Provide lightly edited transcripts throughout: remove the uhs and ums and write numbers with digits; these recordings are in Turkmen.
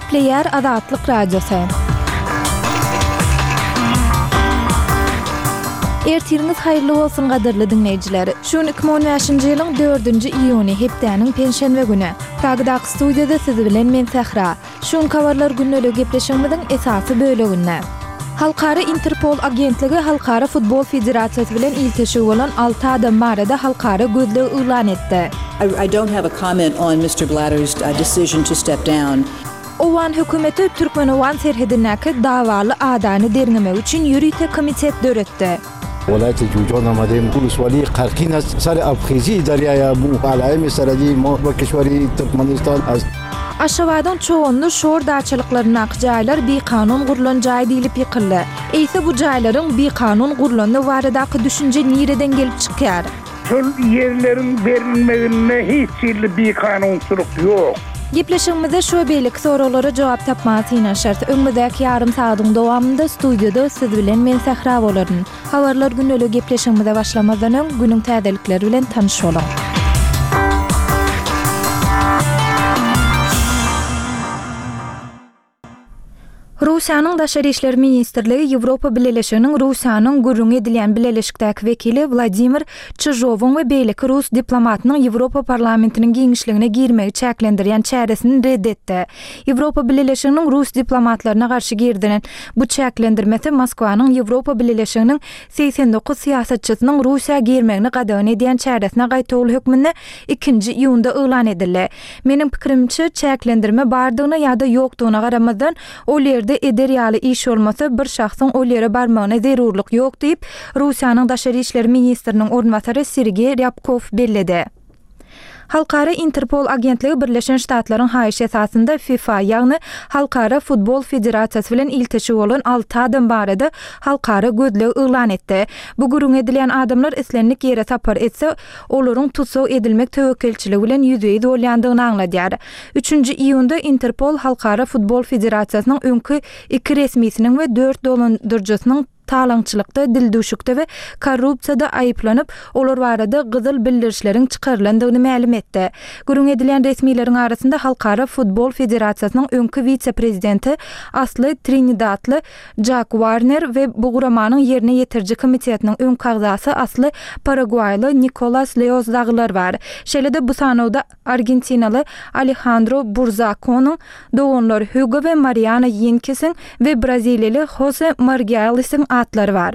Gepleýär Azatlyk Radiosy. Ertiriňiz haýyrly bolsun gadyrly diňleýjiler. Şu gün 2015-nji ýylyň 4-nji iýuny, hepdäniň penşenbe güni. Pragadaky studiýada siz bilen men Sähra. Şu günki habarlar gündeligi gepleşigimiziň esasy böleginde. Halkara Interpol agentligi Halkara futbol federasiýasy bilen ilteşigi bolan alty adam barada halkara gözleg yglan etdi. I don't have a comment on Mister Blatter's decision to step down. Owgan hökümeti türkmen-owgan serhedindäki dawaly adany derňemek üçin ýörite komitet döretdi. ولایت جوجان آمدیم ولسوالی قرقین است سر آبخیزی دریای آمو علایم سرحدی ما با کشور ترکمنستان است. Aşgabadyň Çoganly şor daçalyklaryndaky jaýlar bikanun gurlan jaý diýlip ýykyldy. Eýse bu jaýlaryň bikanun gurlandygy baradaky düşünje nireden gelip çykýar? Şol ýerleriň berilmeginde hiç hili bikanunçylyk ýok. Gepleşigimizde şu we beýleki soraglara jogap tapmaga synanyşarys. Öňümizdäki ýarym sagadyň dowamynda studiýada siz bilen men Sähra bolaryn. Habarlar gündeliği gepleşigimize başlamazdan öň, günüň täzelikleri bilen tanyş boluň. Russiýanyň Daşary işler ministrligi Ýewropa Bileleşiginiň Russiýanyň gürrüňi edilýän bileleşikdäki wekili Wladimir Çyžowyň we beýleki rus diplomatynyň Ýewropa Parlamentiniň giňişligine girmegi çäklendirýän çäresini red etdi. Ýewropa Bileleşiginiň rus diplomatlaryna garşy girizilen bu çäklendirmesi Moskwanyň Ýewropa Bileleşiginiň 89 syýasatçysynyň Russiýa girmegini gadagan edýän çäresine gaýtawul hökmünde ikinji iýunda yglan edildi. Meniň pikirimçe, çäklendirme bardygyna ýa-da ýokdugyna garamazdan, ol ýerde eder ýaly iş bolmasa, bir şahsyň ol ýere barmagyna zerurlyk ýok diýip, Russiýanyň daşary işler ministriniň orunbasary Sergeý Rýabkow belledi. Halkara Interpol agentligi Birleşen Ştatlaryň haýyşy esasynda FIFA, ýagny Halkara futbol federasiýasy bilen ilteşigi bolan alty adam barada halkara gözleg yglan etdi. Bu gürrüňi edilýän adamlar islendik ýere sapar etse, olaryň tussag edilmek töwekgelçiligi bilen ýüzbe-ýüz bolýandygyny aňladýar. Üçünji iýunda Interpol Halkara futbol federasiýasynyň öňki iki resmisiniň we dört dolandyryjysynyň talaňçylykda, dildüwşükde we korrupsiýada aýyplanyp, olar barada gyzyl bildirişleriň çykarylandygyny mälim etdi. Gürrüň edilýän resmileriň arasynda Halkara futbol federasiýasynyň öňki wise-prezidenti, asly trinidadly Jak Warner we bu guramanyň ýerine ýetiriji komitetiniň öňki agzasy asly paragwaýly Nikolas Leoz dagylar bar. Şeýle-de bu sanawda argentinaly Alehandro Burzakonyň, doganlar Hugo we Mariano Ýenkisiň we braziliýaly Hose Margialisiň atlary bar.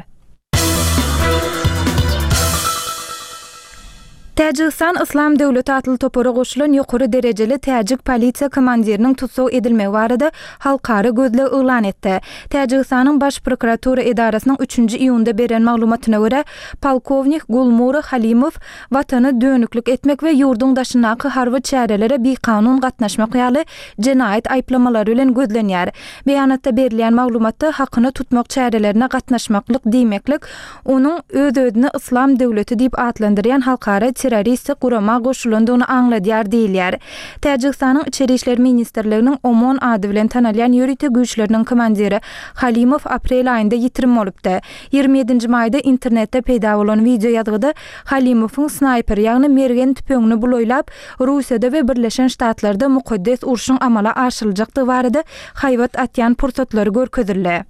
Täjigistan Yslam döwleti atly topara goşulan ýokary derejeli täjik polisiýa komandiriniň tussag edilmegi barada halkara gözleg yglan etdi. Täjigistanyň Baş prokuratura edarasynyň üçünji iýunda beren maglumatyna görä, polkownik Gulmura Halimow watana dönüklik etmek we ýurduň daşyndaky harby çärelere bikanun gatnaşmak ýaly jenaýat aýyplamalary bilen gözlenýär. Beýanatda berilýän maglumatda hakyna tutmak çärelerine gatnaşmaklyk diýmeklik onuň öz-özüni Yslam döwleti diýip atlandyrýan halkara terroristik gurama goşulandygyny aňladýar diýilýär. Täjigistanyň Içeri işler ministrliginiň OMON ady bilen tanalýan ýörite güýçleriniň komandiri Halimow aprel aýynda ýitirim bolupdy. 27-nji maýda internetde peýda bolan wideoýazgyda Halimowyň snaýper, ýagny mergen tüpeňini bulaýlap, Russiýada we Birleşen Ştatlarda mukaddes urşuň amala aşyryljakdygy barada haýbat atýan pursatlary görkezildi.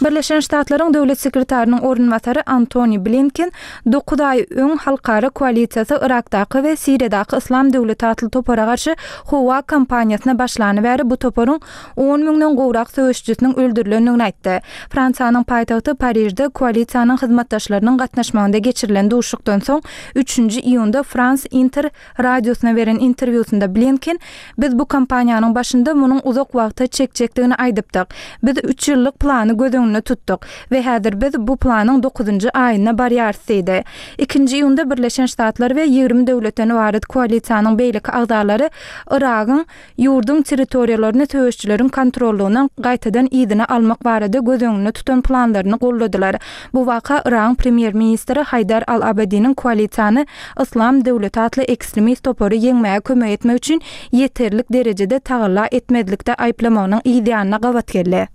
Birleşen Ştatlaryň Döwlet sekretarynyň orunbasary Antoni Blinken dokuz aý öň halkara koalisiýasy Yrakdaky we Siriýadaky Yslam döwleti atly topara garşy howa kampaniýasyna başlany bäri bu toparyň on müňden gowrak söweşijisiniň öldürilendigini aýtdy. Fransiýanyň paýtagty Parižde koalisiýanyň hyzmatdaşlarynyň gatnaşmagynda geçirilen duşuşykdan soň üçünji iýunda Frans Inter radiosyna beren interwýusynda Blinken, Biz bu kampaniýanyň başynda munuň uzak wagta çekjekdigini aýdypdyk. Biz üç ýyllyk plany göz öňünde tutduk we häzir biz bu planyň dokuzynjy aýyna barýarys diýdi. Ikinji iýunda Birleşen Ştatlar we 20 döwletden ybarat koalisiýanyň beýleki agzalary Yragyň ýurduň territoriýalaryny söweşijileriň kontrollygyndan gaýtadan yzyna almak barada göz öňünde tutan planlaryny goldadylar. Bu waka Yragyň premýer-ministri Haýdar al-Abadiniň koalisiýany Yslam döwleti atly ekstremist topary ýeňmäge kömek etmek üçin ýeterlik derejede tagalla etmezlikde aýyplamagynyň yz ýanyna gabat geldi.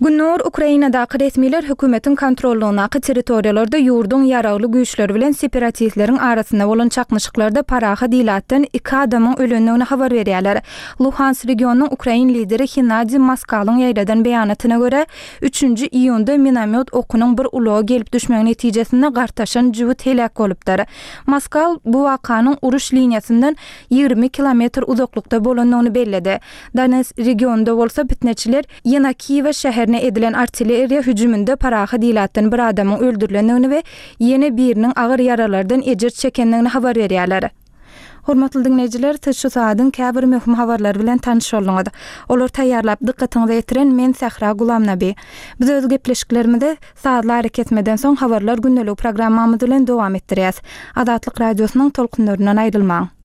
Gündogar Ukrainadaky resmiler hökümetiň kontrollygyndaky territoriýalarda ýurduň ýaragly güýçleri bilen separatistleriň arasynda bolan çaknyşyklarda parahat ilatdan iki adamyň ölendigini habar berýärler. Luhansk regionynyň ukrain lideri Hennadiý Moskalyň ýaýradan beýanatyna görä, üçünji iýunda minomýot okunyň bir ulaga gelip düşmegi netijesinde gartaşan jübüt heläk bolupdyr. Moskal bu wakanyň uruş liniýasyndan 20 kilometr uzaklykda bolandygyny belledi. Donetsk regionynda bolsa pitneçiler Ýenakiýewa şäherine edilen artilleriýa hüjüminde parahat ilatdan bir adamyň öldürilendigini we ýene biriniň agyr ýaralardan ejir çekendigini habar berýärler. Hormatly diňleýjiler, siz şu sagadyň käbir möhüm habarlary bilen tanyş bolduňyz. Olary taýýarlap dykgatyňyza ýetiren men Sähra Gulamnabi. Biz öz gepleşiklerimizi sazly arakesmeden soň Habarlar gündeligi programmamyz bilen dowam etdirýäs. Azatlyk Radiosynyň tolkunlaryndan aýrylmaň!